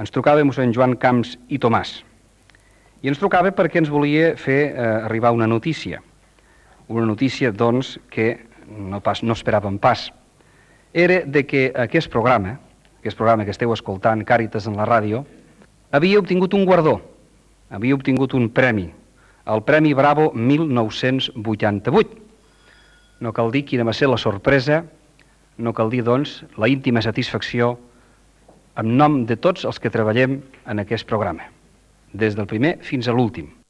Ens trucava mossèn Joan Camps i Tomàs. I ens trucava perquè ens volia fer arribar una notícia. Una notícia, doncs, que no esperàvem pas. Era de que aquest programa que esteu escoltant, Càritas en la ràdio, havia obtingut un guardó, havia obtingut un premi, el Premi Bravo 1988. No cal dir quina va ser la sorpresa, no cal dir, doncs, la íntima satisfacció en nom de tots els que treballem en aquest programa, des del primer fins a l'últim.